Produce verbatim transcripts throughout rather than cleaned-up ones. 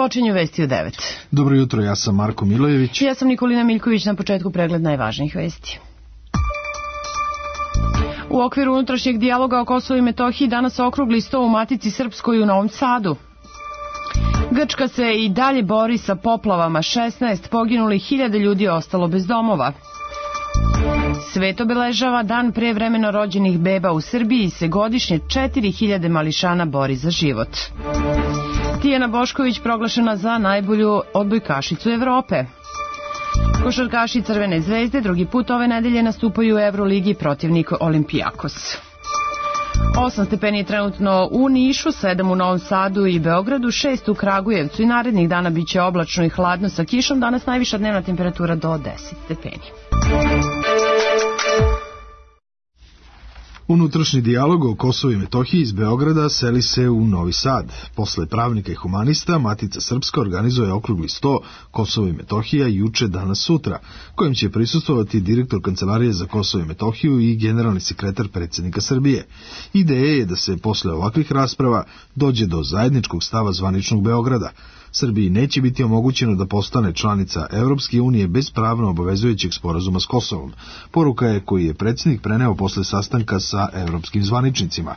Počinju vesti u devet. Dobro jutro, ja sam Marko Milojević. Ja sam Nikolina Miljković, na početku pregled najvažnijih vesti. U okviru unutrašnjeg dijaloga o Kosovu i Metohiji danas okrugli sto u Matici Srpskoj u Novom Sadu. Grčka se i dalje bori sa poplavama, šesnaest poginulih, hiljade ljudi ostalo bez domova. Svet obeležava dan pre vremeno rođenih beba. U Srbiji se godišnje četiri hiljade mališana bori za život. Tijana Bošković proglašena za najbolju odbojkašicu Evrope. Košarkaši Crvene zvezde drugi put ove nedelje nastupaju u Evroligi, protivnik Olimpijakos. Osam stepeni je trenutno u Nišu, sedam u Novom Sadu i Beogradu, šest u Kragujevcu i narednih dana bit će oblačno i hladno sa kišom. Danas najviša dnevna temperatura do deset stepeni. Unutrašnji dijalog o Kosovu i Metohiji iz Beograda seli se u Novi Sad. Posle pravnika i humanista, Matica Srpska organizuje okrugli sto Kosovo i Metohija juče, danas, sutra, kojim će prisustvovati direktor Kancelarije za Kosovo i Metohiju i generalni sekretar predsjednika Srbije. Ideja je da se posle ovakvih rasprava dođe do zajedničkog stava zvaničnog Beograda. Srbiji neće biti omogućeno da postane članica Evropske unije bez pravno obavezujućeg sporazuma s Kosovom. Poruka je koju je predsjednik preneo posle sastanka sa evropskim zvaničnicima.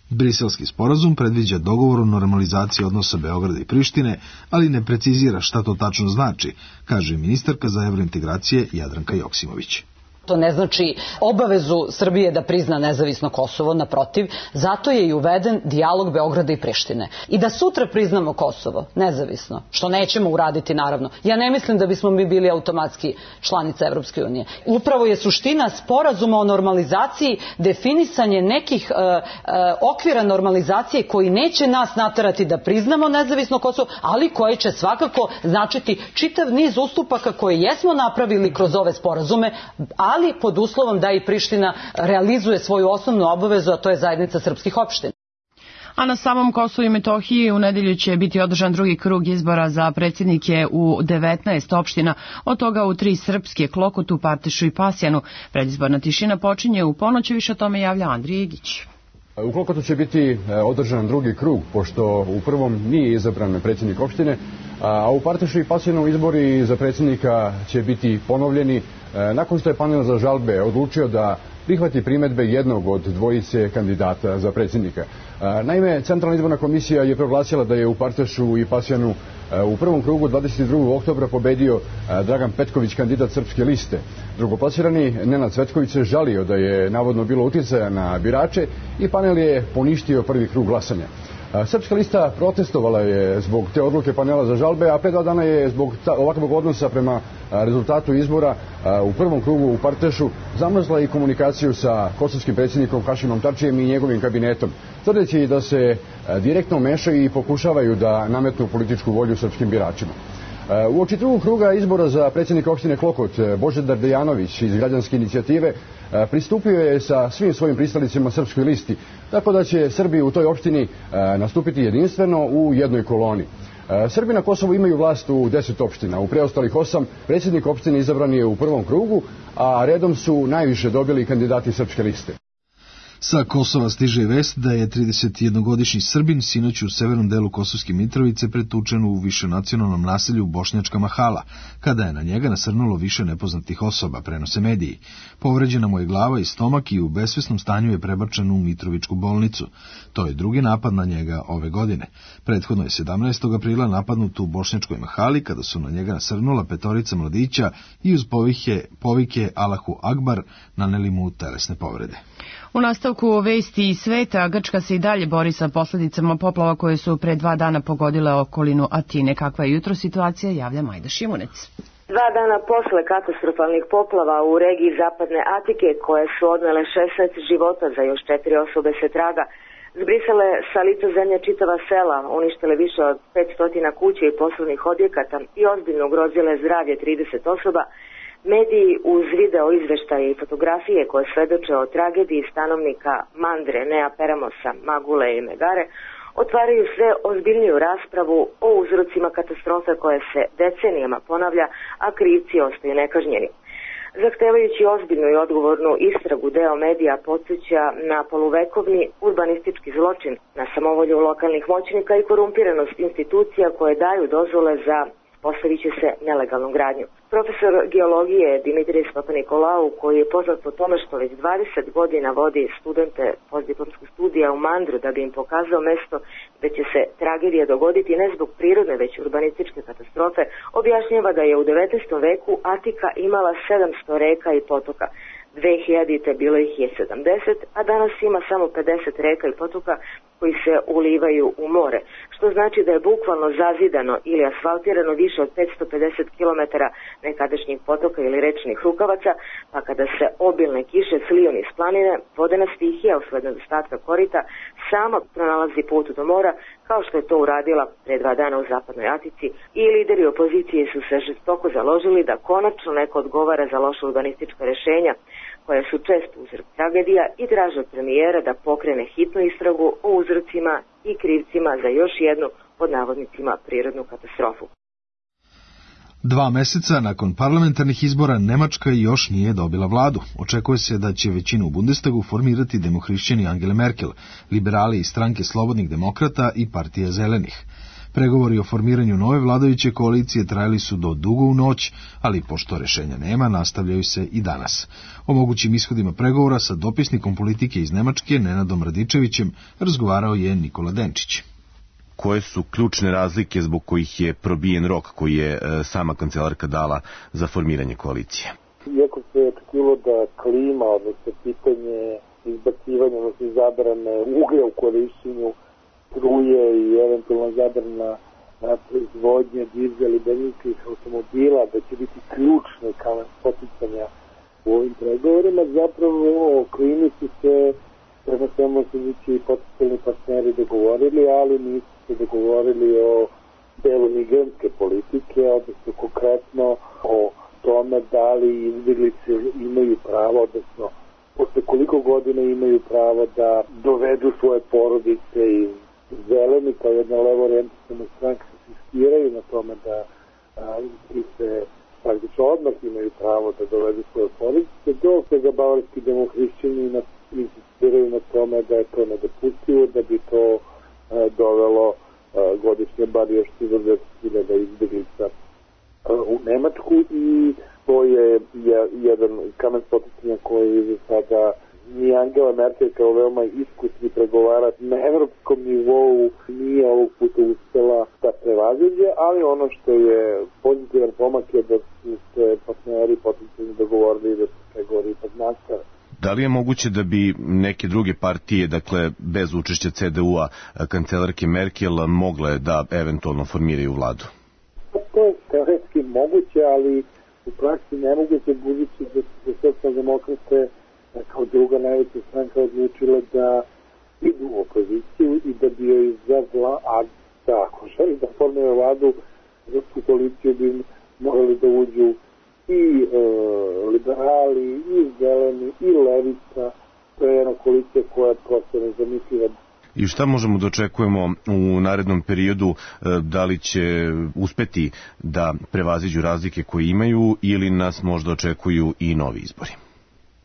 Briselski sporazum predviđa dogovor o normalizaciji odnosa Beograda i Prištine, ali ne precizira šta to tačno znači, kaže ministarka za evrointegracije Jadranka Joksimović. To ne znači obavezu Srbije da prizna nezavisno Kosovo, naprotiv, zato je i uveden dijalog Beograda i Prištine. I da sutra priznamo Kosovo, nezavisno, što nećemo uraditi naravno, ja ne mislim da bismo mi bili automatski članica Evropske unije. Upravo je suština sporazuma o normalizaciji definisanje nekih e, e, okvira normalizacije koji neće nas naterati da priznamo nezavisno Kosovo, ali koje će svakako značiti čitav niz ustupaka koje jesmo napravili kroz ove sporazume, a ali pod uslovom da i Priština realizuje svoju osnovnu obavezu, a to je zajednica srpskih opština. A na samom Kosovu i Metohiji u nedelju će biti održan drugi krug izbora za predsjednike u devetnaest opština, od toga u tri srpske, Klokotu, Partešu i Pasjanu. Predizborna tišina počinje u ponoć, više o tome javlja Andrija Igić. U Klokotu će biti održan drugi krug, pošto u prvom nije izabran predsjednik opštine, a u Partešu i Pasjanu izbori za predsjednika će biti ponovljeni nakon što je panel za žalbe odlučio da prihvati primedbe jednog od dvojice kandidata za predsjednika. Naime, Centralna izborna komisija je proglasila da je u Partešu i Pasjanu u prvom krugu dvadeset drugog oktobra pobedio Dragan Petković, kandidat Srpske liste. Drugoplasirani Nenad Cvetković se žalio da je navodno bilo uticaja na birače i panel je poništio prvi krug glasanja. Srpska lista protestovala je zbog te odluke panela za žalbe, a pre dva dana je zbog ovakvog odnosa prema rezultatu izbora u prvom krugu u Partešu zamrzla i komunikaciju sa kosovskim predsjednikom Hašimom Tačijem i njegovim kabinetom, tvrdeći da se direktno mešaju i pokušavaju da nametnu političku volju srpskim biračima. Uoči drugog kruga izbora za predsjednika opštine Klokot, Božidar Dejanović iz građanske inicijative pristupio je sa svim svojim pristalicima Srpskoj listi, tako da će Srbi u toj opštini nastupiti jedinstveno u jednoj koloni. Srbi na Kosovu imaju vlast u deset opština, u preostalih osam predsjednik opštine izabran je u prvom krugu, a redom su najviše dobili kandidati Srpske liste. Sa Kosova stiže vest da je tridesetjednogodišnji Srbin sinoć u severnom delu Kosovske Mitrovice pretučen u višenacionalnom naselju Bošnjačka Mahala, kada je na njega nasrnulo više nepoznatih osoba, prenose mediji. Povređena mu je glava i stomak i u besvesnom stanju je prebačen u Mitrovičku bolnicu. To je drugi napad na njega ove godine. Prethodno je sedamnaestog aprila napadnut u Bošnjačkoj Mahali, kada su na njega nasrnula petorica mladića i uz povike, povike Allahu Akbar naneli mu telesne povrede. U nastavku vesti iz sveta, Grčka se i dalje bori sa posljedicama poplava koje su pre dva dana pogodile okolinu Atine. Kakva je jutro situacija, javlja Majda Šimunec. Dva dana posle katastrofalnih poplava u regiji zapadne Atike, koje su odnele šesnaest života, za još četiri osobe se traga, zbrisale sa lica zemlje čitava sela, uništile više od petsto kuća i poslovnih objekata i ozbiljno ugrozile zdravlje trideset osoba, mediji uz video izveštaje i fotografije koje svedoče o tragediji stanovnika Mandre, Nea Peramosa, Magule i Megare otvaraju sve ozbiljniju raspravu o uzrocima katastrofe koje se decenijama ponavlja, a krivci ostaju nekažnjeni. Zahtevajući ozbiljnu i odgovornu istragu, deo medija podsjeća na poluvekovni urbanistički zločin, na samovolju lokalnih moćnika i korumpiranost institucija koje daju dozvole za postavit će se nelegalnu gradnju. Profesor geologije Dimitris Papanikolau, koji je poznat po tome što već dvadeset godina vodi studente postdiplomskog studija u Mandru da bi im pokazao mesto gde će se tragedija dogoditi ne zbog prirodne već urbanističke katastrofe, objašnjava da je u devetnaestom veku Atika imala sedamsto reka i potoka. dve hiljadite bilo ih je sedamdeset, a danas ima samo pedeset reka i potoka koji se ulivaju u more, što znači da je bukvalno zazidano ili asfaltirano više od petsto pedeset kilometara nekadašnjih potoka ili rečnih rukavaca, pa kada se obilne kiše sliju niz planine, vodena stihija usled nedostatka korita sama pronalazi put do mora, kao što je to uradila pre dva dana u zapadnoj Atici, i lideri opozicije su se žestoko založili da konačno neko odgovara za loša urbanistička rešenja, koja su često uzrok tragedija, i traže od premijera da pokrene hitnu istragu o uzrocima i krivcima za još jednu, pod navodnicima, prirodnu katastrofu. Dva meseca nakon parlamentarnih izbora Nemačka još nije dobila vladu. Očekuje se da će većinu u Bundestagu formirati demohrišćani Angela Merkel, liberali iz stranke Slobodnih demokrata i partije Zelenih. Pregovori o formiranju nove vladajuće koalicije trajali su do dugo u noć, ali pošto rešenja nema, nastavljaju se i danas. O mogućim ishodima pregovora sa dopisnikom politike iz Nemačke, Nenadom Radičevićem, razgovarao je Nikola Denčić. Koje su ključne razlike zbog kojih je probijen rok koji je sama kancelarka dala za formiranje koalicije? Iako se je očekivalo da klima, odnosno pitanje izbacivanja, odnosno zabrane uglja u korišćenju struje i eventualno zabrana proizvodnje dizel i benzinskih automobila, da će biti ključne kao poticanja u ovim pregovorima, zapravo o klimi su se prema svemu su i potencijalni partneri dogovorili, ali nisu se dogovorili o delu migrantske politike, odnosno konkretno o tome da li izbjeglice imaju pravo, odnosno posle koliko godina imaju pravo da dovedu svoje porodice iz Zeleni, kao jedna levo orijentisana stranka, se insistiraju na tome da i se praktično odmah imaju pravo da dovedu svoje porodice. Do svega bavarski demohrišćani insistiraju na tome da je to nedopustivo, da bi to a, dovelo a, godišnje bar još četrdeset hiljada izbjeglica u Nemačku, i to je, je jedan kamen spoticanja koji je za sada ni Angela Merkel kao veoma iskusni pregovarač na evropskom nivou nije ovog puta uspela da prevaziđe, ali ono što je pozitivan pomak je da su se partneri potencijalno dogovorili da se pregovori ipak nastave. Da li je moguće da bi neke druge partije, dakle bez učešća C D U-a kancelarke Merkel, mogle da eventualno formiraju vladu? To je teoretski moguće, ali u praksi nemoguće, budući da su socijaldemokrate kao druga najveća stranka odlučila da idu u opoziciju i da bi joj za vla, a da ako želi da formira vladu, za tu koaliciju bi morali da uđu i e, liberali, i zeleni, i levica. To je jedna koalicija koja je prosto nezamisliva. I šta možemo da očekujemo u narednom periodu, da li će uspeti da prevaziđu razlike koje imaju ili nas možda očekuju i novi izbori?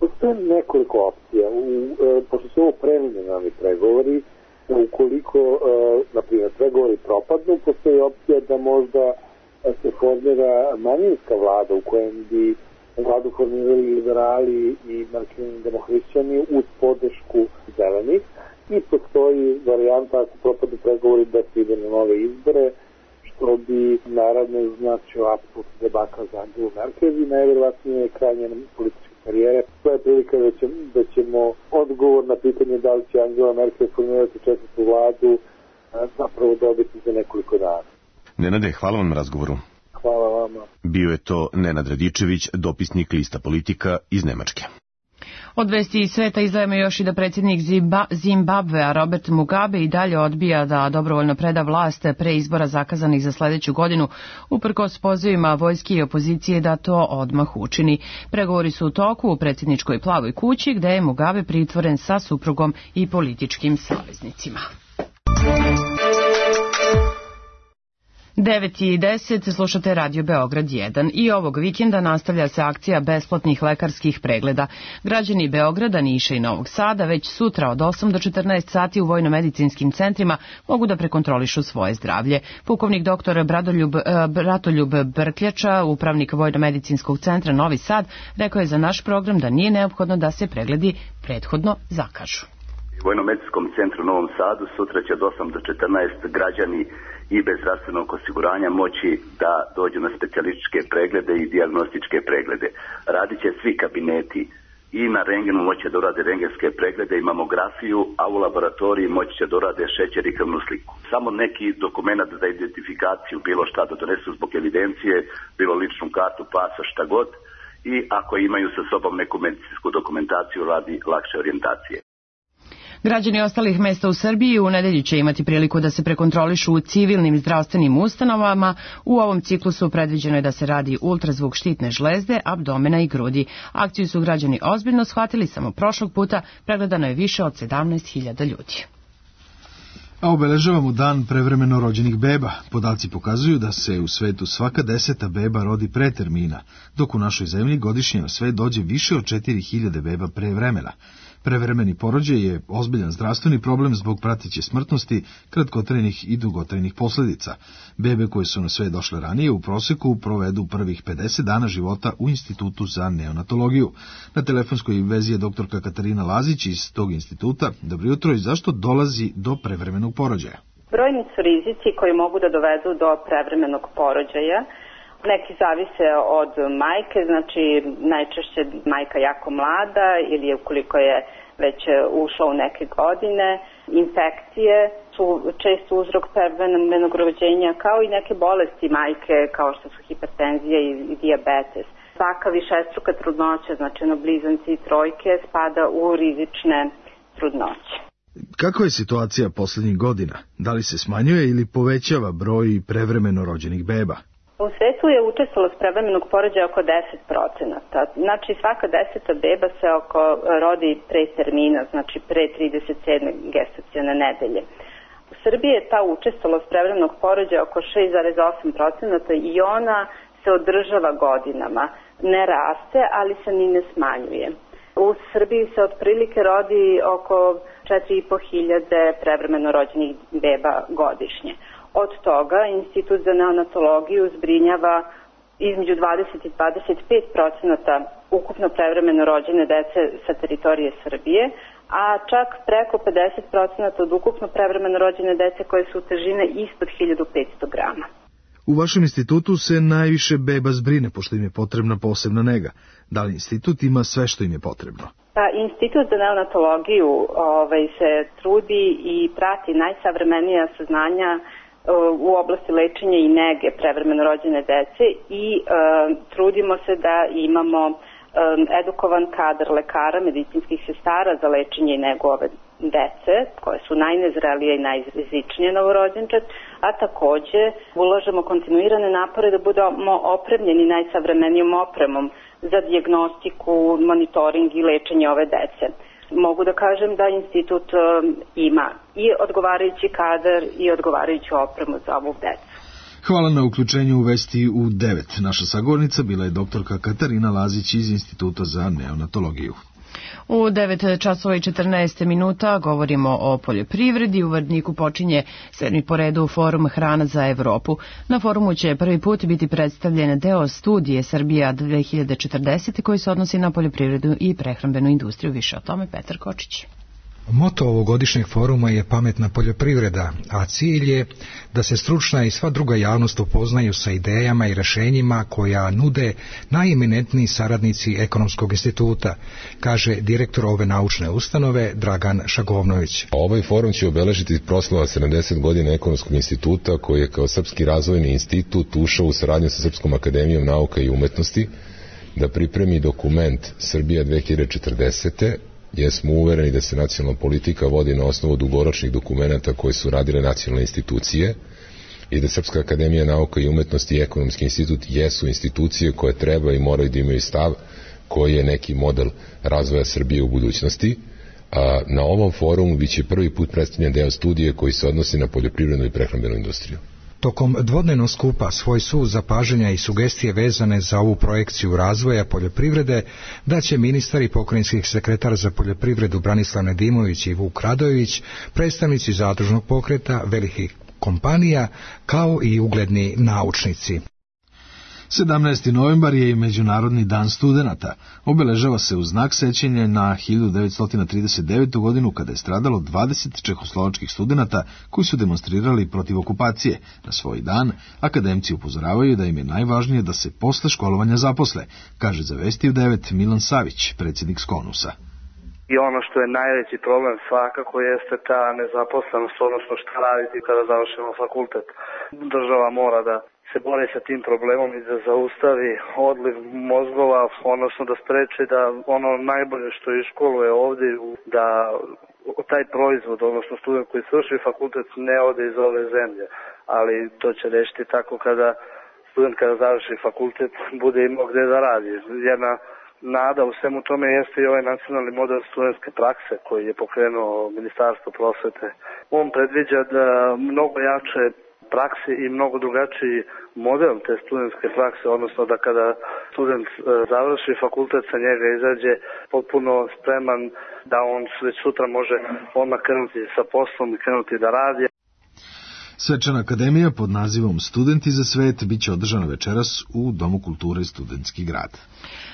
Postoje nekoliko opcija. U, e, pošto su ovo preliminarni pregovori, ukoliko, e, na primjer, pregovori propadnu, postoji opcija da možda se formira manjinska vlada u kojem bi vladu formirali liberali i marksizmi demohrišćani uz podršku zelenih, i postoji varijanta ako propadu pregovori da se ide na nove izbore, što bi naravno značio apsolutno debakl za Angelu Merkel i najvjerovatnije je kraj njene političke karijere. To je prilika da ćemo, da ćemo odgovor na pitanje da li će Angela Merkel formirati četvrtu vladu zapravo dobiti za nekoliko dana. Nenade, hvala vam na razgovoru. Hvala vama. Bio je to Nenad Radičević, dopisnik Lista Politika iz Nemačke. Od vesti iz sveta izdajemo još i da predsjednik Zimbabvea Robert Mugabe i dalje odbija da dobrovoljno preda vlast pre izbora zakazanih za sledeću godinu, uprkos pozivima vojske i opozicije da to odmah učini. Pregovori su u toku u predsjedničkoj Plavoj kući, gde je Mugabe pritvoren sa suprugom i političkim saveznicima. devet i deset slušate Radio Beograd jedan i ovog vikenda nastavlja se akcija besplatnih lekarskih pregleda. Građani Beograda, Niša i Novog Sada već sutra od osam do četrnaest sati u vojno-medicinskim centrima mogu da prekontrolišu svoje zdravlje. Pukovnik doktor Bradoljub, Bratoljub Brkljača, upravnik vojno-medicinskog centra Novi Sad, rekao je za naš program da nije neophodno da se pregledi prethodno zakažu. U vojno-medicinskom centru u Novom Sadu sutra će od osam do četrnaest građani i bez zdravstvenog osiguranja moći da dođu na specijalističke preglede i dijagnostičke preglede. Radit će svi kabineti i na rengenu moći će da urade rengenske preglede i mamografiju, a u laboratoriji moći će da urade šećer i krvnu sliku. Samo neki dokument za identifikaciju, bilo šta da donesu zbog evidencije, bilo ličnu kartu, pasa, šta god, i ako imaju sa sobom neku medicinsku dokumentaciju radi lakše orijentacije. Građani ostalih mesta u Srbiji u nedelju će imati priliku da se prekontrolišu u civilnim zdravstvenim ustanovama. U ovom ciklusu predviđeno je da se radi ultrazvuk štitne žlezde, abdomena i grudi. Akciju su građani ozbiljno shvatili, samo prošlog puta pregledano je više od sedamnaest hiljada ljudi. A obeležavamo dan prevremeno rođenih beba. Podaci pokazuju da se u svetu svaka deseta beba rodi pre termina, dok u našoj zemlji godišnje na svet dođe više od četiri hiljade beba pre vremena. Prevremeni porođaj je ozbiljan zdravstveni problem zbog prateće smrtnosti, kratkotrajnih i dugotrajnih posljedica. Bebe koje su na svet došle ranije u proseku provedu prvih pedeset dana života u Institutu za neonatologiju. Na telefonskoj vezi je doktorka Katarina Lazić iz tog instituta. Dobro jutro, i zašto dolazi do prevremenog porođaja? Brojni su rizici koji mogu da dovedu do prevremenog porođaja. Neki zavise od majke, znači najčešće majka jako mlada ili ukoliko je već ušla u neke godine. Infekcije su često uzrok prevremenog rođenja, kao i neke bolesti majke kao što su hipertenzija i dijabetes. Svaka višestruka trudnoća, znači na blizanci i trojke, spada u rizične trudnoće. Kakva je situacija posljednjih godina? Da li se smanjuje ili povećava broj prevremeno rođenih beba? U svetu je učestvovalo s prevremenog porođaja oko deset procenata. Znači svaka deseta beba se oko rodi pre termina, znači pre trideset sedme gestacione nedelje. U Srbiji je ta učestvovalo s prevremenog porođaja oko šest zarez osam procenata i ona se održava godinama. Ne raste, ali se ni ne smanjuje. U Srbiji se otprilike rodi oko četiri i po hiljade prevremeno rođenih beba godišnje. Od toga Institut za neonatologiju zbrinjava između dvadeset i dvadeset pet procenata ukupno prevremeno rođene dece sa teritorije Srbije, a čak preko pedeset procenata od ukupno prevremeno rođene dece koje su težine ispod hiljadu petsto grama. U vašem institutu se najviše beba zbrine, pošto im je potrebna posebna nega. Da li institut ima sve što im je potrebno? Pa, Institut za neonatologiju ovaj, se trudi i prati najsavremenija saznanja u oblasti lečenja i nege prevremeno rođene dece i e, trudimo se da imamo e, edukovan kadar lekara, medicinskih sestara za lečenje i negu ove dece, koje su najnezrelije i najrizičnije novorođenčad, a takođe ulažemo kontinuirane napore da budemo opremljeni najsavremenijom opremom za dijagnostiku, monitoring i lečenje ove dece. Mogu da kažem da institut ima i odgovarajući kadar i odgovarajuću opremu za ovu decu. Hvala na uključenju u Vesti u devet. Naša sagovornica bila je doktorka Katarina Lazić iz Instituta za neonatologiju. U devet časova i četrnaest minuta govorimo o poljoprivredi. U Vrdniku počinje sedmi po redu forum Hrana za Evropu. Na forumu će prvi put biti predstavljen deo studije Srbija dve hiljade četrdeset koji se odnosi na poljoprivredu i prehrambenu industriju. Više o tome Petar Kočić. Moto ovogodišnjeg foruma je pametna poljoprivreda, a cilj je da se stručna i sva druga javnost upoznaju sa idejama i rešenjima koja nude najeminentniji saradnici Ekonomskog instituta, kaže direktor ove naučne ustanove Dragan Šagovnović. Ovaj forum će obeležiti proslava sedamdeset godina Ekonomskog instituta, koji je kao Srpski razvojni institut ušao u saradnju sa Srpskom akademijom nauka i umetnosti da pripremi dokument Srbija dve hiljade četrdeset. jer smo uvereni da se nacionalna politika vodi na osnovu dugoročnih dokumenata koje su radile nacionalne institucije i da Srpska akademija nauka i umetnosti i Ekonomski institut jesu institucije koje treba i moraju da imaju stav koji je neki model razvoja Srbije u budućnosti. A na ovom forumu biće prvi put predstavljen deo studije koji se odnosi na poljoprivrednu i prehrambenu industriju. Tokom dvodnevnog skupa svoj sud zapažanja i sugestije vezane za ovu projekciju razvoja poljoprivrede daće ministar i pokrajinski sekretar za poljoprivredu Branislav Nedimović i Vuk Radojević, predstavnici zadružnog pokreta, velikih kompanija, kao i ugledni naučnici. sedamnaesti novembar je i Međunarodni dan studenata. Obeležava se u znak sećanja na hiljadu devetsto trideset devetu. godinu kada je stradalo dvadeset čehoslovačkih studenata koji su demonstrirali protiv okupacije. Na svoj dan akademci upozoravaju da im je najvažnije da se posle školovanja zaposle, kaže za Vesti u devet Milan Savić, predsjednik Skonusa. I ono što je najveći problem svakako jeste ta nezaposlenost, odnosno šta raditi kada završimo fakultet. Država mora da se bori sa tim problemom i da zaustavi odliv mozgova, odnosno da spreči da ono najbolje što je školuje ovdje, da taj proizvod, odnosno student koji svrši fakultet ne ode iz ove zemlje. Ali to će rešiti tako kada student kada završi fakultet bude imao gde da radi. Jedna nada u svemu tome jeste i ovaj nacionalni model studentske prakse koji je pokrenuo Ministarstvo prosvete. On predviđa da mnogo jače prakse i mnogo drugačiji model te studentske prakse, odnosno da kada student završi fakultet, sa njega izađe potpuno spreman da on već sutra može odmah krenuti sa poslom i krenuti da radi. Svečana akademija pod nazivom Studenti za svet biće održana večeras u Domu kulture Studentski grad.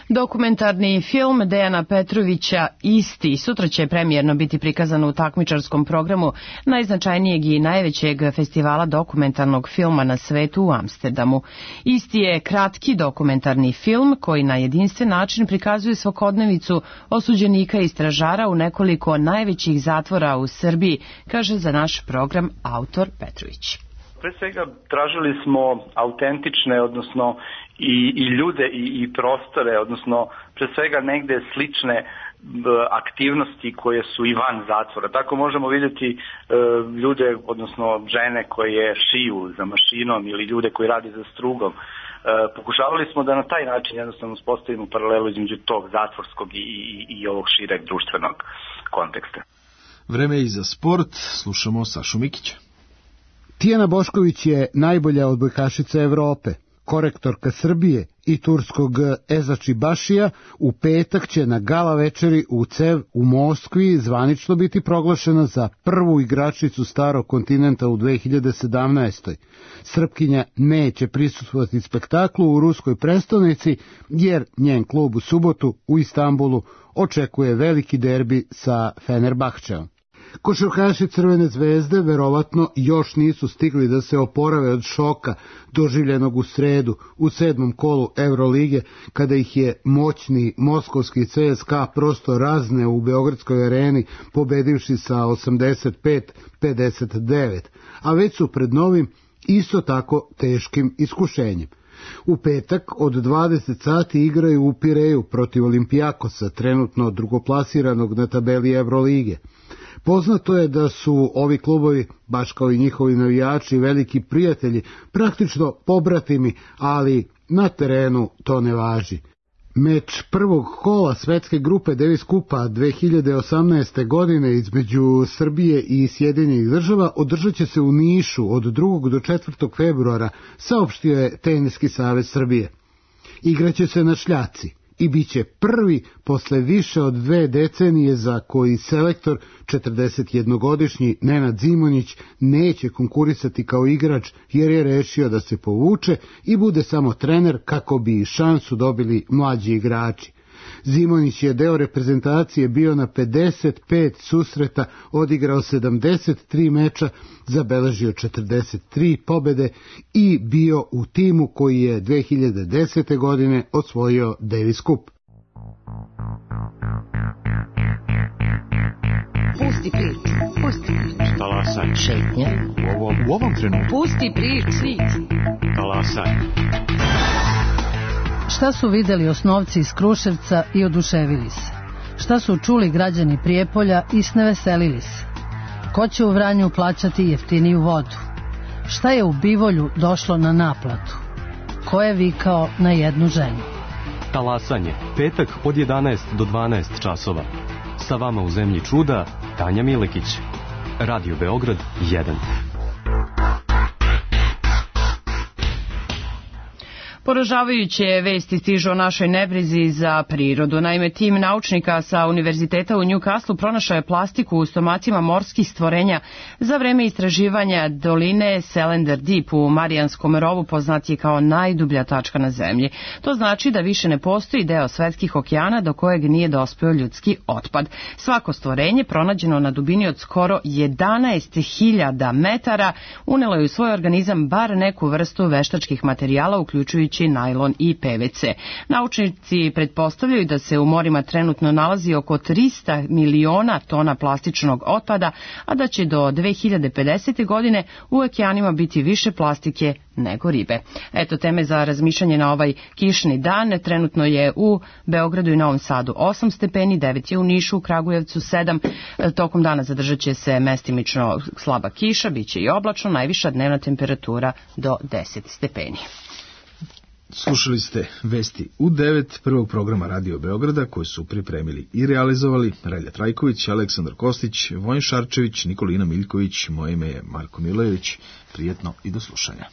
Dokumentarni film Dejana Petrovića Isti sutra će premijerno biti prikazan u takmičarskom programu najznačajnijeg i najvećeg festivala dokumentarnog filma na svetu u Amsterdamu. Isti je kratki dokumentarni film koji na jedinstven način prikazuje svakodnevicu osuđenika i stražara u nekoliko najvećih zatvora u Srbiji, kaže za naš program autor Petrović. Pre svega tražili smo autentične, odnosno i, i ljude i, i prostore, odnosno pre svega negde slične b, aktivnosti koje su i van zatvora. Tako možemo vidjeti e, ljude, odnosno žene koje šiju za mašinom ili ljude koji rade za strugom. E, pokušavali smo da na taj način jednostavno uspostavimo paralelu između tog zatvorskog i, i, i ovog šireg društvenog konteksta. Vreme i za sport, slušamo Sašu Mikića. Tijana Bošković je najbolja odbojkašica Evrope. Korektorka Srbije i turskog Ezači Bašija u petak će na gala večeri u Cev u Moskvi zvanično biti proglašena za prvu igračicu starog kontinenta u dve hiljade sedamnaestoj. Srpkinja neće prisustvovati spektaklu u ruskoj prestonici jer njen klub u subotu u Istanbulu očekuje veliki derbi sa Fenerbahčeom. Košarkaši Crvene zvezde verovatno još nisu stigli da se oporave od šoka doživljenog u sredu u sedmom kolu Eurolige, kada ih je moćni moskovski C S K A prosto razneo u Beogradskoj areni, pobedivši sa osamdeset pet pedeset devet, a već su pred novim isto tako teškim iskušenjem. U petak od dvadeset sati igraju u Pireju protiv Olimpijakosa, trenutno drugoplasiranog na tabeli Evrolige. Poznato je da su ovi klubovi, baš kao i njihovi navijači, veliki prijatelji, praktično pobratimi, ali na terenu to ne važi. Meč prvog kola svetske grupe Davis Kupa dve hiljade osamnaeste. godine između Srbije i Sjedinjenih država održat će se u Nišu od drugog do četvrtog februara, saopštio je Teniski savez Srbije. Igraće se na šljaci i bit će prvi posle više od dve decenije za koji selektor četrdesetjednogodišnji Nenad Zimonjić neće konkurisati kao igrač jer je rešio da se povuče i bude samo trener kako bi šansu dobili mlađi igrači. Zimonjić je deo reprezentacije bio na pedeset pet susreta, odigrao sedamdeset tri meča, zabeležio četrdeset tri pobede i bio u timu koji je dve hiljade desete. godine osvojio Davis Cup. Pusti priču, pusti priču. Talasaj. Šetnja. U ovom, u ovom trenutku. Pusti priču. Talasaj. Šta su videli osnovci iz Kruševca i oduševili se? Šta su čuli građani Prijepolja i sneveselili se? Ko će u Vranju plaćati jeftiniju vodu? Šta je u Bivolju došlo na naplatu? Ko je vikao na jednu ženu? Talasanje, petak od jedanaest do dvanaest časova. Sa vama u zemlji čuda, Tanja Milekić. Radio Beograd jedan. Poražavajuće vesti stižu o našoj nebrizi za prirodu. Naime, tim naučnika sa univerziteta u Newcastle pronašao je plastiku u stomacima morskih stvorenja za vreme istraživanja doline Selander Deep u Marijanskom rovu, poznatije kao najdublja tačka na zemlji. To znači da više ne postoji deo svetskih okeana do kojeg nije dospeo ljudski otpad. Svako stvorenje, pronađeno na dubini od skoro jedanaest hiljada metara, unelo je u svoj organizam bar neku vrstu veštačkih materijala, uključujući najlon i P V C. Naučnici pretpostavljaju da se u morima trenutno nalazi oko trista miliona tona plastičnog otpada, a da će do dve hiljade pedesete. godine u okeanima biti više plastike nego ribe. Eto teme za razmišljanje na ovaj kišni dan. Trenutno je u Beogradu i Novom Sadu osam stepeni, devet je u Nišu, u Kragujevcu sedam. Tokom dana zadržat će se mestimično slaba kiša, bit će i oblačno, najviša dnevna temperatura do deset stepeni. Slušali ste vesti u devet prvog programa Radio Beograda koje su pripremili i realizovali Relja Trajković, Aleksandar Kostić, Vojin Šarčević, Nikolina Miljković, moje ime je Marko Milojević. Prijetno i do slušanja.